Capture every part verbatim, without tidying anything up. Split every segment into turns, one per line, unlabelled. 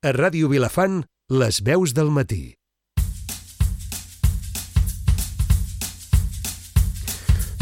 A Ràdio Vilafant, les veus del matí.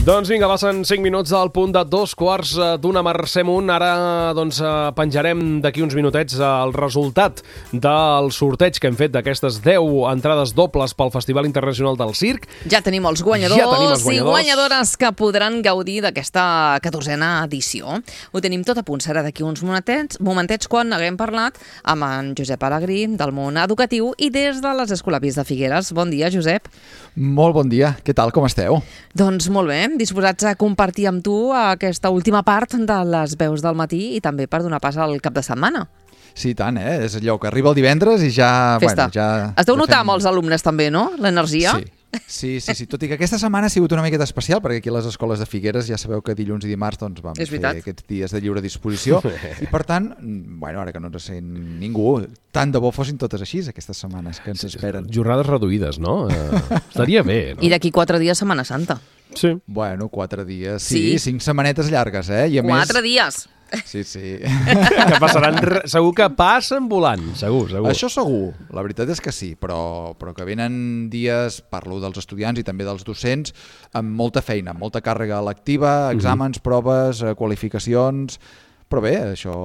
Doncs vinga, passen cinc minuts al punt de dos quarts d'una. Mercè Munt. Ara doncs, penjarem d'aquí uns minutets el resultat del sorteig que hem fet d'aquestes deu entrades dobles pel Festival Internacional del Circ.
Ja tenim els guanyadors,
ja tenim els guanyadors.
i guanyadores que podran gaudir d'aquesta catorzena edició. Ho tenim tot a punt, serà d'aquí uns momentets, momentets quan haguem parlat amb en Josep Alegrí del món educatiu i des de les Escolapis de Figueres. Bon dia, Josep.
Molt bon dia. Què tal? Com esteu?
Doncs molt bé, disposats a compartir amb tu aquesta última part de les veus del matí i també per donar pas al cap de setmana.
Sí, tant, eh? És allò que arriba el divendres i ja...
Festa.
Bueno, ja
es deu
ja
notar
fem...
amb els alumnes també, no?, l'energia.
Sí. Sí, sí, sí, tot i que aquesta setmana ha sigut una miqueta especial, perquè aquí a les escoles de Figueres ja sabeu que dilluns i dimarts doncs, vam fer aquests dies de lliure disposició i per tant, bueno, ara que no ens sent ningú, tant de bo fossin totes així aquestes setmanes que ens esperen.
Jornades reduïdes, no? Uh, estaria bé, no?
I d'aquí quatre dies Setmana Santa.
Sí.
Bueno, quatre dies, sí,
Sí.
cinc setmanetes llargues, eh? I a
Quatre
més...
dies.
Sí, sí.
Que passaran, segur que passen volant, segur, segur.
Això segur, la veritat és que sí, però, però que venen dies, parlo dels estudiants i també dels docents, amb molta feina, amb molta càrrega lectiva, exàmens, uh-huh. proves, qualificacions, però bé, això...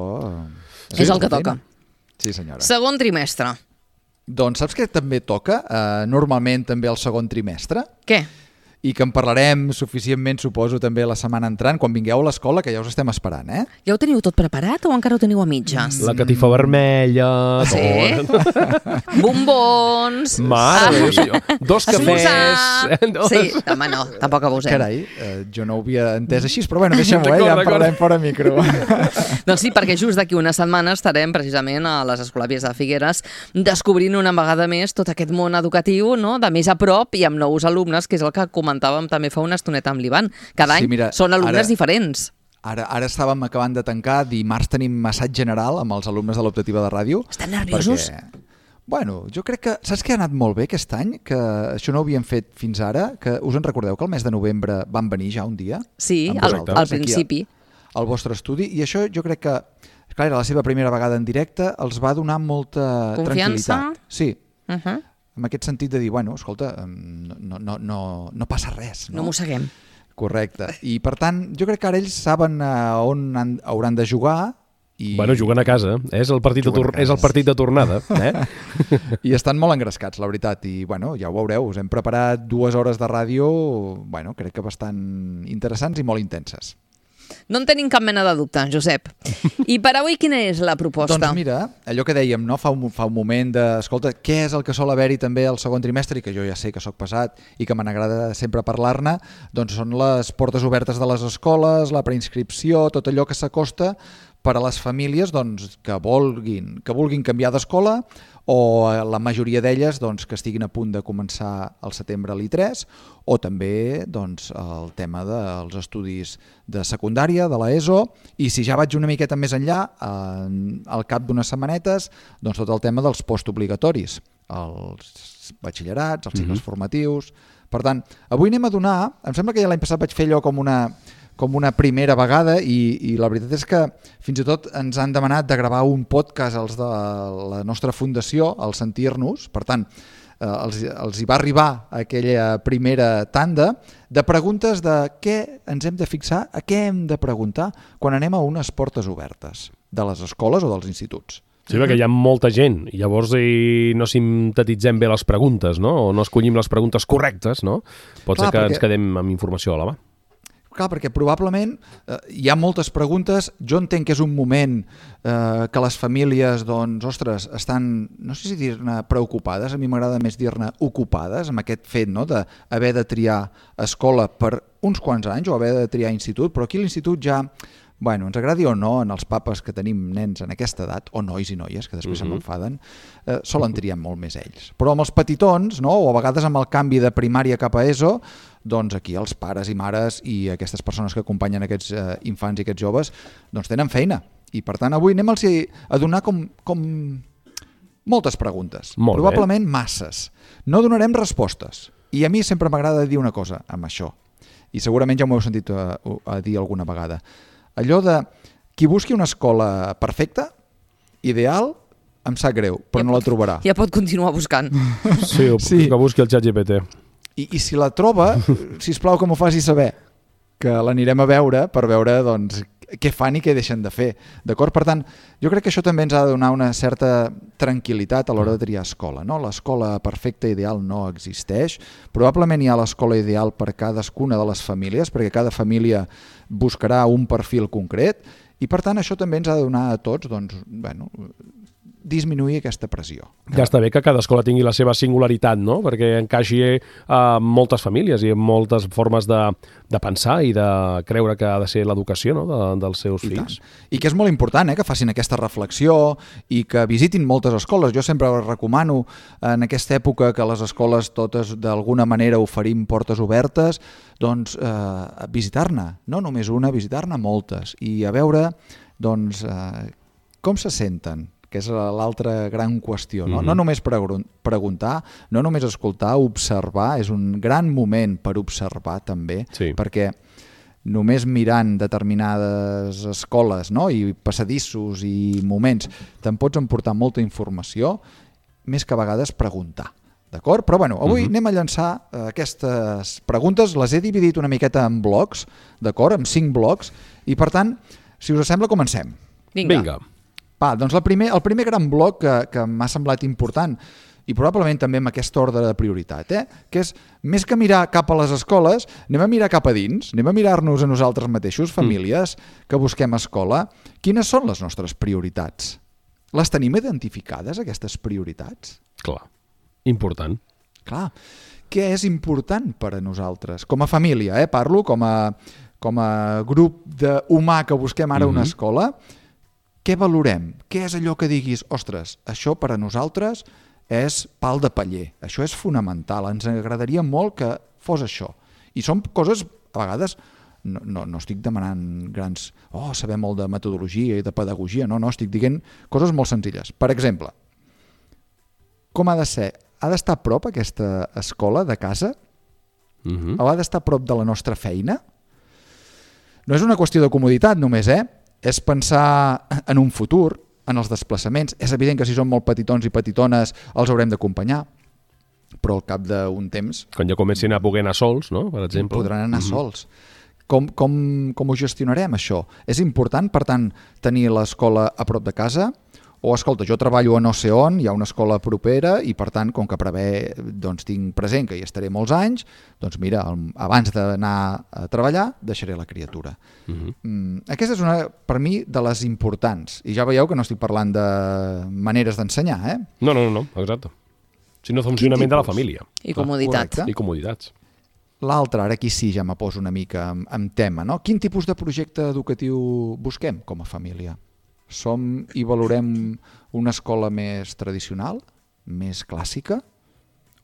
Sí, és el que toca.
Sí, senyora.
Segon trimestre.
Doncs saps què també toca? Uh, normalment també el segon trimestre.
Què?
I que en parlarem suficientment, suposo, també la setmana entrant, quan vingueu a l'escola, que ja us estem esperant, eh?
Ja ho teniu tot preparat o encara ho teniu a mitges?
La catifa vermella...
Sí? Bombons...
Mare de Déu, dos cafès...
Dos... Sí, home, no, tampoc abusem.
Carai, eh, jo no ho havia entès així, però bueno, deixem-ho, eh? Ja en parlem fora micro.
Doncs sí, perquè just d'aquí una setmana estarem precisament a les Escolapis de Figueres descobrint una vegada més tot aquest món educatiu, no?, de més a prop i amb nous alumnes, que és el que comentàvem també fa una estoneta amb l'Ivan. Cada any
sí, mira,
són alumnes
ara,
diferents.
Ara, ara estàvem acabant de tancar, dimarts tenim massatge general amb els alumnes de l'optativa de ràdio.
Estan nerviosos?
Perquè, bueno, jo crec que... Saps què ha anat molt bé aquest any? Que això no ho havíem fet fins ara. Que us en recordeu que el mes de novembre van venir ja un dia?
Sí, al, al principi.
Al, al vostre estudi. I això jo crec que, clar, era la seva primera vegada en directe, els va donar molta
confiança?
Tranquil·litat. Sí.
Uh-huh.
En aquest sentit de dir, bueno, escolta, no, no, no, no passa res. No,
no mosseguem.
Correcte. I per tant, jo crec que ara ells saben uh, on han, hauran de jugar. I...
Bueno, juguen a casa. És el partit, de, tor és el partit de tornada. Eh?
I estan molt engrescats, la veritat. I bueno, ja ho veureu, us hem preparat dues hores de ràdio, bueno, crec que bastant interessants i molt intenses.
No en tenim cap mena de dubte, Josep. I per avui quina és la proposta?
Doncs mira, allò que dèiem, no? fa, un, fa un moment de, escolta, què és el que sol haver-hi també al segon trimestre, i que jo ja sé que sóc passat i que me n'agrada sempre parlar-ne, doncs són les portes obertes de les escoles, la preinscripció, tot allò que s'acosta per a les famílies doncs, que, vulguin, que vulguin canviar d'escola o la majoria d'elles doncs, que estiguin a punt de començar al setembre a l'I tres o també doncs, el tema dels estudis de secundària, de l'ESO, i si ja vaig una miqueta més enllà, eh, al cap d'unes setmanetes, doncs tot el tema dels postobligatoris, els batxillerats, els cicles mm-hmm. formatius... Per tant, avui anem a donar, em sembla que ja l'any passat vaig fer allò com una... com una primera vegada i, i la veritat és que fins i tot ens han demanat de gravar un podcast els de la nostra fundació, el Sentir-nos, per tant, eh, els, els hi va arribar aquella primera tanda de preguntes de què ens hem de fixar, a què hem de preguntar quan anem a unes portes obertes de les escoles o dels instituts.
Sí, perquè hi ha molta gent i llavors i no sintetitzem bé les preguntes, no? O no escollim les preguntes correctes, no? Pot Clar, ser que perquè... ens quedem amb informació a la mà.
Clar, perquè probablement eh, hi ha moltes preguntes. Jo entenc que és un moment eh, que les famílies, doncs, ostres, estan, no sé si dir-ne preocupades, a mi m'agrada més dir-ne ocupades, amb aquest fet no, d'haver de triar escola per uns quants anys o haver de triar institut, però aquí l'institut ja... Bueno, ens agradi o no, en els papes que tenim nens en aquesta edat, o nois i noies, que després uh-huh. se m'enfaden, eh, solen triar molt més ells. Però amb els petitons, no? O a vegades amb el canvi de primària cap a ESO, doncs aquí els pares i mares i aquestes persones que acompanyen aquests eh, infants i aquests joves, doncs tenen feina. I per tant avui anem a donar com, com moltes preguntes.
Molt
Probablement
bé.
masses. No donarem respostes. I a mi sempre m'agrada dir una cosa amb això. I segurament ja m'ho heu sentit a, a dir alguna vegada. Allò de qui busqui una escola perfecta, ideal, em sap greu, però
Ja
no la
pot-
trobarà.
Ja pot continuar buscant.
Sí,
Sí.
que busqui el xat G P T.
I, I si la troba, sisplau que m'ho faci saber, que l'anirem a veure per veure doncs, què fan i què deixen de fer. D'acord? Per tant, jo crec que això també ens ha de donar una certa tranquil·litat a l'hora de triar escola. No? L'escola perfecta ideal no existeix. Probablement hi ha l'escola ideal per cadascuna de les famílies, perquè cada família buscarà un perfil concret i per tant això també ens ha de donar a tots doncs, bueno, disminuir aquesta pressió.
Ja està bé que cada escola tingui la seva singularitat, no? Perquè encaixi a moltes famílies i a moltes formes de, de pensar i de creure que ha de ser l'educació, no? de, dels seus
I,
fills.
tant. I que és molt important eh, que facin aquesta reflexió i que visitin moltes escoles. Jo sempre recomano en aquesta època que les escoles totes d'alguna manera oferim portes obertes, doncs eh, visitar-ne, no només una, visitar-ne moltes i a veure doncs, eh, com se senten, que és l'altra gran qüestió. No, mm-hmm. no només pregun- preguntar, no només escoltar, observar, és un gran moment per observar també,
Sí.
perquè només mirant determinades escoles, no? I passadissos i moments te'n pots emportar molta informació, més que a vegades preguntar. D'acord? Però bueno, avui uh-huh. anem a llançar eh, aquestes preguntes, les he dividit una miqueta en blocs, d'acord? En cinc blocs, i per tant, si us sembla, comencem.
Vinga.
Vinga.
Va, doncs el primer, el primer gran bloc que, que m'ha semblat important, i probablement també amb aquest ordre de prioritat, eh? que és, més que mirar cap a les escoles, anem a mirar cap a dins, anem a mirar-nos a nosaltres mateixos, famílies, mm. que busquem escola. Quines són les nostres prioritats? Les tenim identificades, aquestes prioritats?
Clar. Important.
Clar. Què és important per a nosaltres? Com a família, eh? Parlo com a, com a grup de humà que busquem ara mm-hmm. una escola. Què valorem? Què és allò que diguis, ostres, això per a nosaltres és pal de paller, això és fonamental, ens agradaria molt que fos això. I són coses, a vegades, no, no, no estic demanant grans, oh, saber molt de metodologia i de pedagogia, no, no, estic dient coses molt senzilles. Per exemple, com ha de ser? Ha d'estar a prop aquesta escola de casa?
Mm-hmm.
O ha d'estar a prop de la nostra feina? No és una qüestió de comoditat només, eh? És pensar en un futur, en els desplaçaments. És evident que si són molt petitons i petitones els haurem d'acompanyar, però al cap d'un temps
Quan ja comencin a poder anar sols, no? Per exemple.
podran anar
Mhm.
sols. Com, com, com ho gestionarem, això? És important, per tant, tenir l'escola a prop de casa? O, escolta, jo treballo a no sé on, hi ha una escola propera i, per tant, com que prevé, doncs, tinc present que hi estaré molts anys, doncs mira, el- abans d'anar a treballar, deixaré la criatura.
Mhm.
Mm, aquesta és una, per mi, de les importants. I ja veieu que no estic parlant de maneres d'ensenyar, eh?
No, no, no, no, exacte. Sinó funcionament de la
tipus?
família.
I comoditat.
correcte.
I comoditats.
L'altre, ara aquí sí ja me poso una mica en, en tema, no? Quin tipus de projecte educatiu busquem com a família? Som i valorem una escola més tradicional, més clàssica?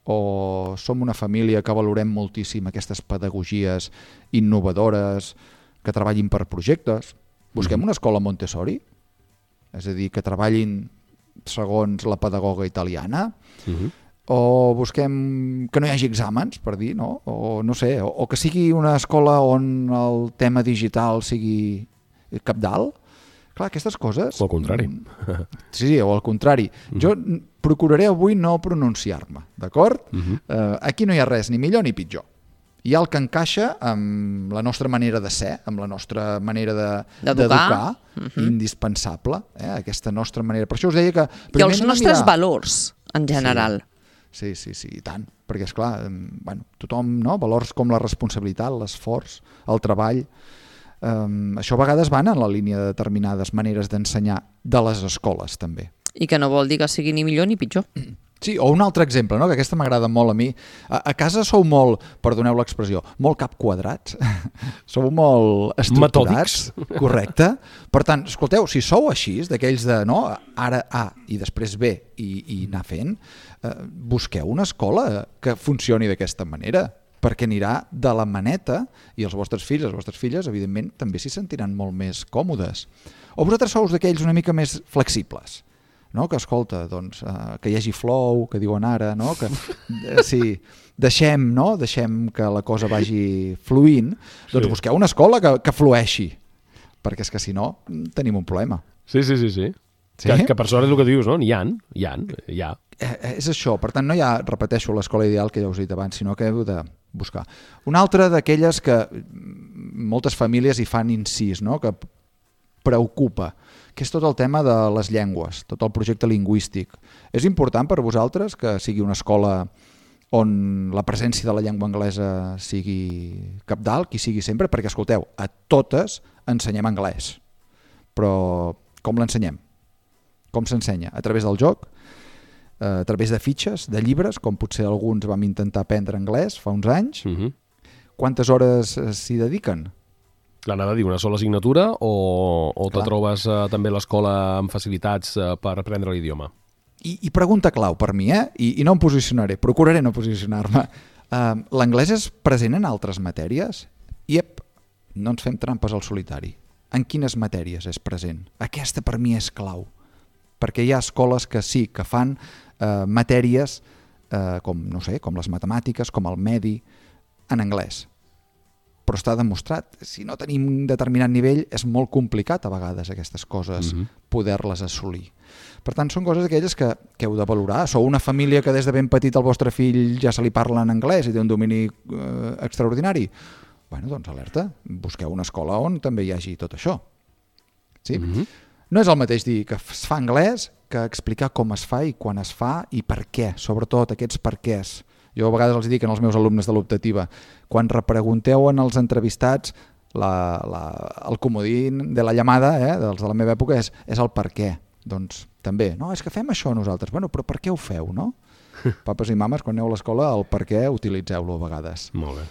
O som una família que valorem moltíssim aquestes pedagogies innovadores, que treballin per projectes? Busquem una escola Montessori? És a dir, que treballin segons la pedagoga italiana?
Mhm.
O busquem que no hi hagi exàmens, per dir, no? O no sé, o, o que sigui una escola on el tema digital sigui cabdal? Clar, aquestes coses...
O al contrari.
Sí, sí, o al contrari. Mm. Jo procuraré avui no pronunciar-me, d'acord?
Mhm.
Eh, aquí no hi ha res ni millor ni pitjor. Hi ha el que encaixa amb la nostra manera de ser, amb la nostra manera de-
D'educar.
d'educar, indispensable, eh? Aquesta nostra manera. Per això us deia que...
I
primer
els
anem a
nostres
mirar-
valors, en general.
Sí, sí, sí, i tant. Perquè, esclar, em, bueno, tothom, no? Valors com la responsabilitat, l'esforç, el treball... Um, això a vegades van en la línia de determinades maneres d'ensenyar de les escoles, també.
I que no vol dir que sigui ni millor ni pitjor.
Sí, o un altre exemple, no? Que aquesta m'agrada molt a mi. A, a casa sou molt, perdoneu l'expressió, molt cap quadrats. Sou molt estructurats.
Metòdics.
Correcte. Per tant, escolteu, si sou així, d'aquells de no, ara A i després B i, i anar fent, eh, busqueu una escola que funcioni d'aquesta manera, perquè anirà de la maneta i els vostres fills, les vostres filles, evidentment, també s'hi sentiran molt més còmodes. O vosaltres sou d'aquells una mica més flexibles, no? Que escolta, doncs, eh, que hi hagi flow, que diuen ara, no? Que eh, sí, deixem, no? Deixem que la cosa vagi fluint, doncs
Sí.
busqueu una escola que, que flueixi, perquè és que si no tenim un problema.
Sí, sí, sí, sí. Sí? Que, que per sort és el que dius, no? N'hi ha, hi ha, hi ha.
Eh, és això, per tant no hi ha, repeteixo, l'escola ideal que ja us he dit abans, sinó que heu de buscar. Una altra d'aquelles que moltes famílies hi fan incís, no? Que preocupa, que és tot el tema de les llengües, tot el projecte lingüístic. És important per vosaltres que sigui una escola on la presència de la llengua anglesa sigui cabdal, qui sigui sempre, perquè, escolteu, a totes ensenyem anglès. Però com l'ensenyem? Com s'ensenya? A través del joc? A través de fitxes, de llibres, com potser alguns vam intentar aprendre anglès fa uns anys? Uh-huh. Quantes hores s'hi dediquen?
L'anava a dir, una sola assignatura o, o te trobes eh, també a l'escola amb facilitats eh, per aprendre l'idioma?
I, I pregunta clau per mi, eh? I, i no em posicionaré, procuraré no posicionar-me. Uh, L'anglès és present en altres matèries? Iep, no ens fem trampes al solitari. En quines matèries és present? Aquesta per mi és clau. Perquè hi ha escoles que sí, que fan eh, matèries eh, com, no sé, com les matemàtiques, com el medi, en anglès. Però està demostrat, si no tenim un determinat nivell, és molt complicat a vegades aquestes coses, mm-hmm. poder-les assolir. Per tant, són coses aquelles que, que heu de valorar. Sou una família que des de ben petit el vostre fill ja se li parla en anglès i té un domini eh, extraordinari. Bueno, doncs alerta, busqueu una escola on també hi hagi tot això. Sí? Mm-hmm. No és el mateix dir que es fa anglès que explicar com es fa i quan es fa i per què, sobretot aquests per quès. Jo a vegades els dic als meus alumnes de l'optativa, quan repregunteu en els entrevistats la, la, el comodín de la llamada, eh, dels de la meva època, és, és el per què. Doncs també, no, és que fem això nosaltres. Bueno, però per què ho feu, no? Papes i mames, quan aneu a l'escola, el per què utilitzeu-lo a vegades.
Molt bé.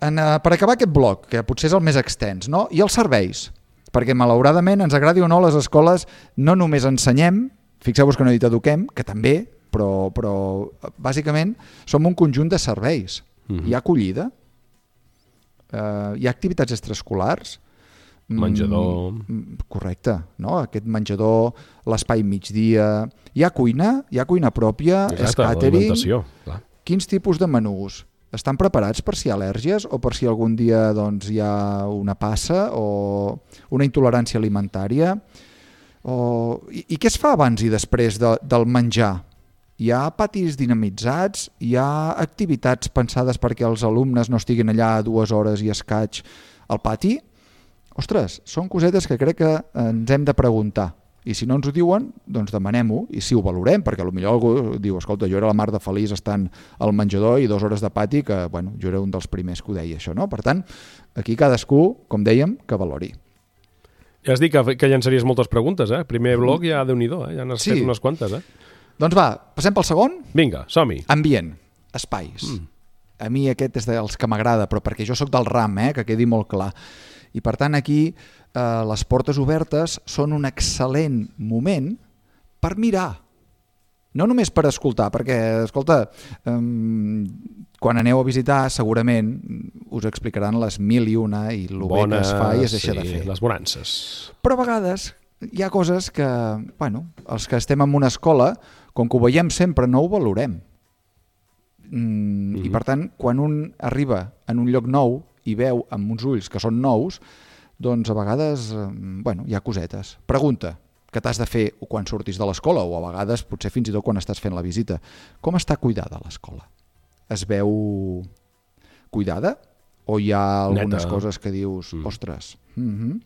En, uh, per acabar aquest bloc, que potser és el més extens, no? I els serveis. Perquè malauradament, ens agradi o no, les escoles no només ensenyem, fixeu-vos que no he dit eduquem, que també, però, però bàsicament som un conjunt de serveis. Mm-hmm. Hi ha acollida, uh, hi ha activitats extraescolars,
menjador...
Mm, correcte, no? Aquest menjador, l'espai migdia... Hi ha cuina, hi ha cuina pròpia, és catering... Quins tipus de menús? Estan preparats per si hi ha al·lèrgies o per si algun dia doncs, hi ha una passa o una intolerància alimentària? O... I, I què es fa abans i després de, del menjar? Hi ha patis dinamitzats? Hi ha activitats pensades perquè els alumnes no estiguin allà dues hores i escaig al pati? Ostres, són cosetes que crec que ens hem de preguntar. I si no ens ho diuen, doncs demanem-ho i si ho valorem, perquè potser algú diu, escolta, jo era la mar de feliç estant al menjador i dues hores de pati, que bueno, jo era un dels primers que ho deia això, no? Per tant, aquí cadascú, com dèiem, que valori.
Ja has dit que, que llançaries moltes preguntes, eh? Primer bloc ja Déu-n'hi-do, eh? Ja n'has sí. fet unes quantes, eh?
Doncs va, passem pel segon?
Vinga, som-hi.
Ambient, espais. Mm. A mi aquest és dels que m'agrada, però perquè jo sóc del RAM, eh? Que quedi molt clar. I per tant aquí eh, les portes obertes són un excel·lent moment per mirar. No només per escoltar, perquè, escolta, eh, quan aneu a visitar segurament us explicaran les mil i una i el bé que es fa i es deixa
sí,
de fer.
Les bonances.
Però a vegades hi ha coses que, bueno, els que estem en una escola, com que ho veiem sempre, no ho valorem. Mm, mm-hmm. I per tant, quan un arriba en un lloc nou i veu amb uns ulls que són nous, doncs a vegades, bueno, hi ha cosetes. Pregunta que t'has de fer quan surtis de l'escola o a vegades potser fins i tot quan estàs fent la visita. Com està cuidada l'escola? Es veu cuidada? O hi ha algunes Neta. coses que dius, mm. ostres... Mm-hmm.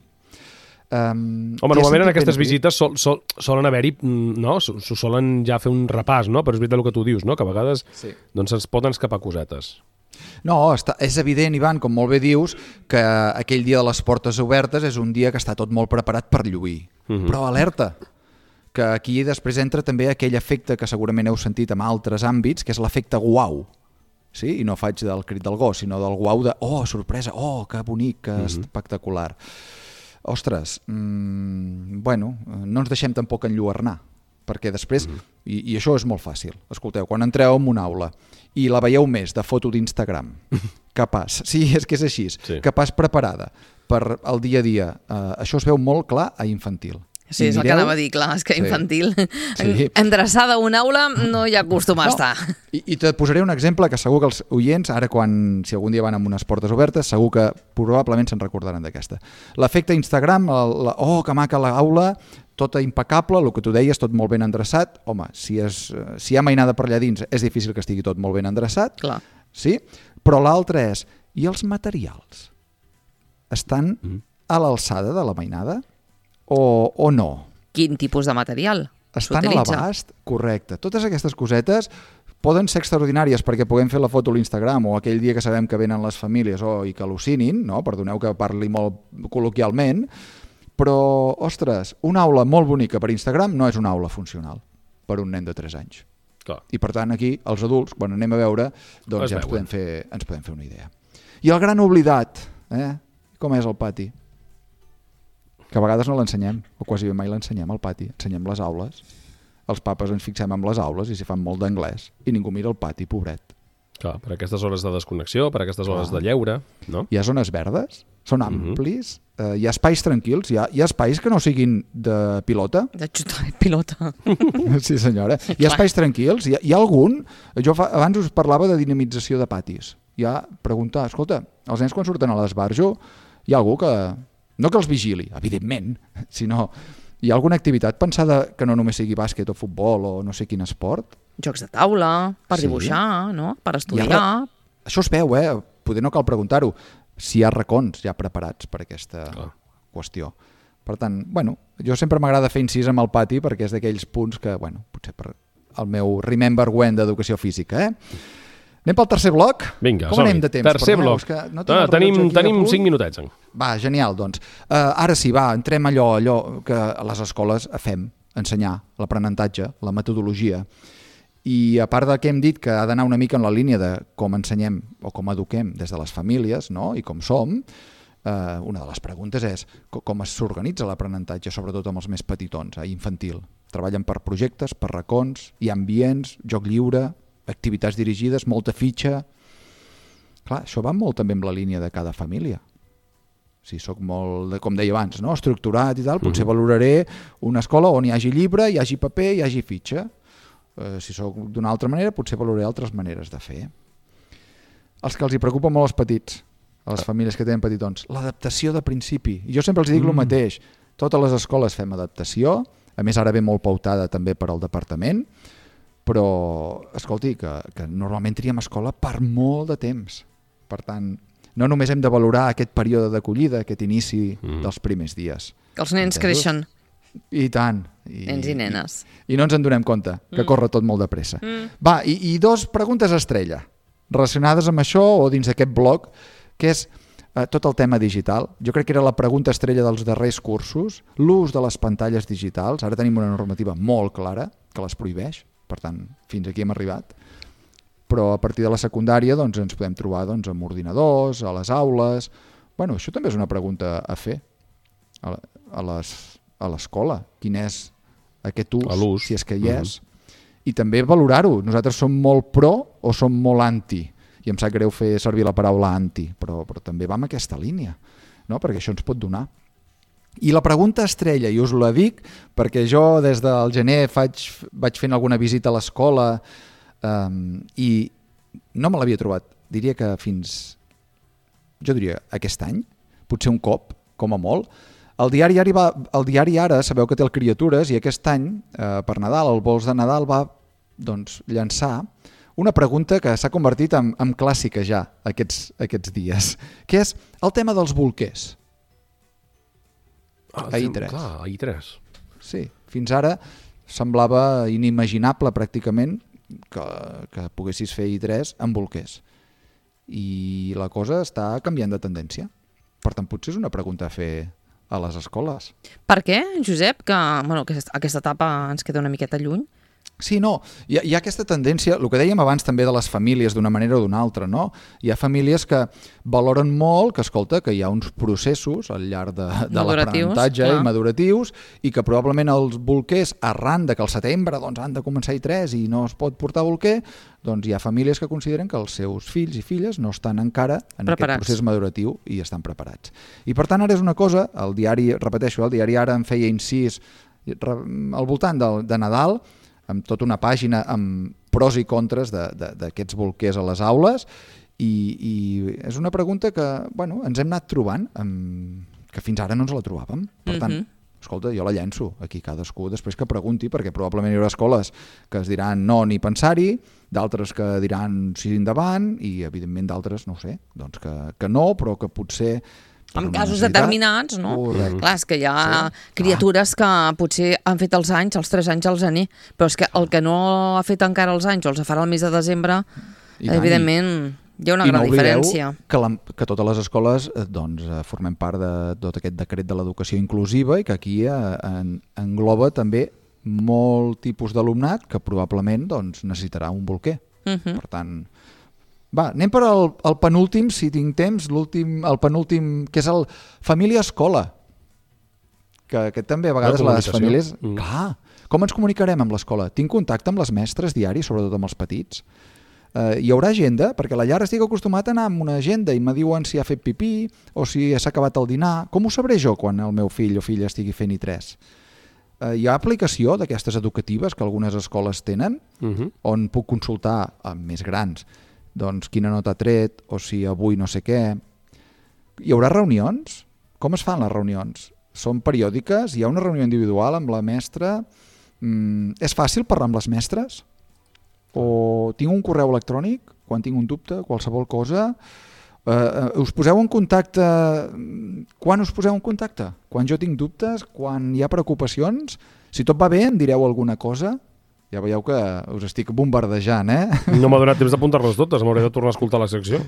Um,
Home, normalment en aquestes visites sol, sol, solen haver-hi, no? S'ho solen ja fer un repàs, no? Però és veritat el que tu dius, no? Que a vegades sí. doncs ens poden escapar cosetes.
No, està, és evident, Ivan, com molt bé dius, que aquell dia de les portes obertes és un dia que està tot molt preparat per lluir. Mm-hmm. Però alerta, que aquí després entra també aquell efecte que segurament heu sentit en altres àmbits, que és l'efecte guau. Sí? I no faig del crit del gos, sinó del guau de, oh, sorpresa, oh, que bonic, que mm-hmm. espectacular. Ostres, mmm, bueno, no ens deixem tampoc enlluernar, perquè després, mm-hmm. i, i això és molt fàcil, escolteu, quan entreu en una aula i la veieu més de foto d'Instagram, capaç, sí, és que és així, sí. capaç preparada per al dia a dia, eh, això es veu molt clar a infantil.
Sí, és el que anava a dir, clar, és que infantil. Sí. Endreçada a una aula no hi acostuma a estar.
No. I, I te posaré un exemple que segur que els oients, ara quan, si algun dia van amb unes portes obertes, segur que probablement se'n recordaran d'aquesta. L'efecte Instagram, el, la, oh, que maca l'aula, tota impecable, el que tu deies, tot molt ben endreçat. Home, si, és, si hi ha mainada per allà dins, és difícil que estigui tot molt ben endreçat.
Clar.
Sí? Però l'altre és, i els materials? Estan mm. a l'alçada de la mainada o, o no?
Quin tipus de material
estan a l'abast? Correcte. Totes aquestes cosetes poden ser extraordinàries perquè puguem fer la foto a l'Instagram o aquell dia que sabem que venen les famílies oh, i que al·lucinin, no? Perdoneu que parli molt col·loquialment, però, ostres, una aula molt bonica per Instagram no és una aula funcional per un nen de tres anys.
Clar.
I per tant aquí, els adults, quan anem a veure, doncs ja ens podem, fer, ens podem fer una idea. I el gran oblidat, eh? Com és el pati? Que a vegades no l'ensenyem, o quasi mai l'ensenyem al pati, ensenyem les aules. Els papes ens fixem en les aules i s'hi fan molt d'anglès i ningú mira el pati, pobret.
Clar, per aquestes hores de desconnexió, per aquestes hores Clar. de lleure, no? Hi
ha zones verdes, són amplis, uh -huh. eh, hi ha espais tranquils, hi ha, hi ha espais que no siguin de pilota.
De xutar de pilota.
Sí, senyora. Hi ha espais tranquils, hi ha, hi ha algun... Jo fa, abans us parlava de dinamització de patis. Hi ha preguntar, escolta, els nens quan surten a l'esbarjo, hi ha algú que... No que els vigili, evidentment, sinó hi ha alguna activitat pensada que no només sigui bàsquet o futbol o no sé quin esport?
Jocs de taula, per sí. dibuixar, no? Per estudiar. Ha...
Això es veu, eh? Poder no cal preguntar-ho. Si hi ha racons ja preparats per aquesta Clar. qüestió. Per tant, bueno, jo sempre m'agrada fer incís amb el pati perquè és d'aquells punts que, bueno, potser per el meu remember when d'educació física, eh? Anem pel tercer bloc?
Vinga,
com anem de temps?
Tercer bloc.
No
ah, tenim tenim cinc minutets.
Va, genial, doncs. Uh, ara sí, va, entrem allò, allò que a les escoles fem, ensenyar l'aprenentatge, la metodologia. I a part del que hem dit que ha d'anar una mica en la línia de com ensenyem o com eduquem des de les famílies, no? I com som, uh, una de les preguntes és com s'organitza l'aprenentatge, sobretot amb els més petitons, eh, infantil. Treballen per projectes, per racons, hi ha ambients, joc lliure, activitats dirigides, molta fitxa... Clar, això va molt també amb la línia de cada família. Si sóc molt, com deia abans, no? estructurat i tal, potser uh-huh. valoraré una escola on hi hagi llibre, hi hagi paper, hi hagi fitxa. Uh, si sóc d'una altra manera, potser valoraré altres maneres de fer. Els que els hi preocupa molt els petits, a les famílies que tenen petitons, l'adaptació de principi. I jo sempre els dic mm. el mateix. Totes les escoles fem adaptació, a més ara ve molt pautada també per al departament, però, escolti, que, que normalment triem escola per molt de temps. Per tant, no només hem de valorar aquest període d'acollida, aquest inici mm. dels primers dies.
Que els nens Entesos? creixen.
I tant. I,
nens i nenes.
I, I no ens en donem compte, que mm. corre tot molt de pressa. Mm. Va, i, i dos preguntes estrella, relacionades amb això o dins d'aquest bloc, que és eh, tot el tema digital. Jo crec que era la pregunta estrella dels darrers cursos, l'ús de les pantalles digitals. Ara tenim una normativa molt clara que les prohibeix. Per tant, fins aquí hem arribat. Però a partir de la secundària doncs, ens podem trobar doncs, amb ordinadors, a les aules... Bueno, això també és una pregunta a fer a, a, les, a l'escola. Quin és aquest ús, si és que hi és. Uh-huh. I també valorar-ho. Nosaltres som molt pro o som molt anti. I em sap greu fer servir la paraula anti, però, però també va en aquesta línia, no? Perquè això ens pot donar. I la pregunta estrella, i us la dic, perquè jo des del gener faig, vaig fent alguna visita a l'escola um, i no me l'havia trobat. Diria que fins, jo diria, aquest any, potser un cop, com a molt. El diari, Ara va, el diari Ara, sabeu que té el Criatures, i aquest any, eh, per Nadal, el Vols de Nadal, va doncs, llançar una pregunta que s'ha convertit en, en clàssica ja aquests, aquests dies, que és el tema dels bolquers.
Ah,
a I tres.
Clar, a I tres.
Sí, fins ara semblava inimaginable pràcticament que, que poguessis fer I tres amb bolquers. I la cosa està canviant de tendència. Per tant, potser és una pregunta a fer a les escoles.
Per què, Josep, que bueno, aquesta, aquesta etapa ens queda una miqueta lluny?
Sí, no, hi ha, hi ha aquesta tendència, el que dèiem abans també de les famílies d'una manera o d'una altra, no? Hi ha famílies que valoren molt que, escolta, que hi ha uns processos al llarg de, de l'aprenentatge i maduratius i que probablement els bolquers, arran de que al setembre doncs, han de començar i tres i no es pot portar bolquer, doncs hi ha famílies que consideren que els seus fills i filles no estan encara en
preparats.
Aquest procés maduratiu i estan preparats. I per tant ara és una cosa, el diari, repeteixo, el diari Ara en feia incís al voltant de, de Nadal, amb tota una pàgina amb pros i contres d'aquests bolquers a les aules i, i és una pregunta que bueno, ens hem anat trobant amb, que fins ara no ens la trobàvem. Per tant, mm-hmm. escolta, jo la llenço aquí cadascú després que pregunti, perquè probablement hi haurà escoles que es diran no ni pensar-hi, d'altres que diran sí endavant i evidentment d'altres, no ho sé, doncs que, que no, però que potser
en casos determinats, no?
Correcte.
Clar, és que hi ha sí. criatures que potser han fet els anys, els tres anys els anir, però és que el que no ha fet encara els anys o els farà el mes de desembre, I evidentment hi ha una gran diferència.
Que, la, que totes les escoles doncs, formem part de tot aquest decret de l'educació inclusiva i que aquí en, engloba també molt tipus d'alumnat que probablement doncs, necessitarà un bolquer. Uh-huh. Per tant... Va, anem per al, al penúltim, si tinc temps, l'últim, el penúltim, que és el família-escola. Que, que també a vegades les famílies... Mm. Clar, com ens comunicarem amb l'escola? Tinc contacte amb les mestres diari, sobretot amb els petits? Uh, hi haurà agenda? Perquè a la llar estic acostumat a anar amb una agenda i me diuen si ha fet pipí o si s'ha acabat el dinar. Com ho sabré jo quan el meu fill o filla estigui fent i tres? Uh, hi ha aplicació d'aquestes educatives que algunes escoles tenen, uh-huh. on puc consultar amb més grans doncs quina nota ha tret, o si avui no sé què. Hi haurà reunions? Com es fan les reunions? Són periòdiques? Hi ha una reunió individual amb la mestra? Mm, és fàcil parlar amb les mestres? O tinc un correu electrònic? Quan tinc un dubte, qualsevol cosa? Uh, us poseu en contacte... Quan us poseu en contacte? Quan jo tinc dubtes? Quan hi ha preocupacions? Si tot va bé, em direu alguna cosa? Ja veieu que us estic bombardejant, eh?
No m'ha donat temps d'apuntar-les totes, m'hauré de tornar a escoltar la secció.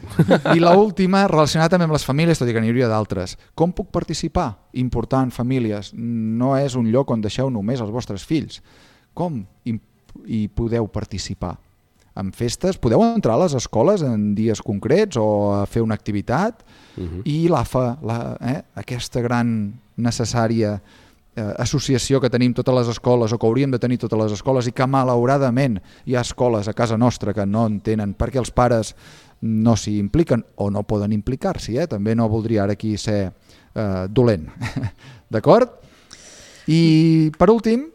I l'última, relacionada també amb les famílies, tot i que n'hi hauria d'altres. Com puc participar? Important, famílies. No és un lloc on deixeu només els vostres fills. Com hi, hi podeu participar? En festes? Podeu entrar a les escoles en dies concrets o a fer una activitat? Uh-huh. I l'A F A, la, eh? aquesta gran necessària associació que tenim totes les escoles o que hauríem de tenir totes les escoles i que malauradament hi ha escoles a casa nostra que no entenen perquè els pares no s'hi impliquen o no poden implicar-s'hi, eh? També no voldria ara aquí ser eh, dolent. D'acord? I per últim,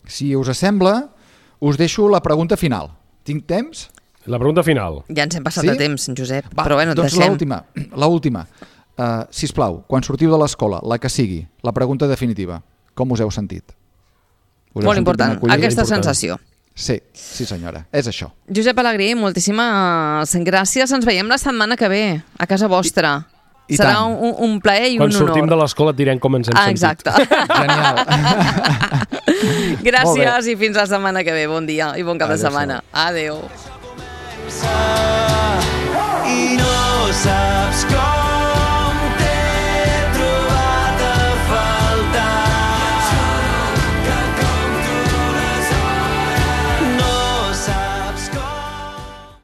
si us sembla, us deixo la pregunta final. Tinc temps?
La pregunta final.
Ja ens hem passat sí? de temps, Josep,
Va,
però bueno,
doncs
deixem.
l'última, l'última. Uh, sisplau, quan sortiu de l'escola, la que sigui, la pregunta definitiva, com us heu sentit? Us
Molt important, aquesta
important.
sensació.
Sí, sí senyora, és això.
Josep Alegrí, moltíssimes gràcies. Ens veiem la setmana que ve, a casa vostra.
I, i
Serà
tant.
un, un plaer i
quan
un honor.
Quan sortim de l'escola et direm com ens hem
ah,
sentit.
Exacte.
Genial.
Gràcies i fins la setmana que ve. Bon dia i bon cap
Adéu,
de setmana. Adéu.
I no saps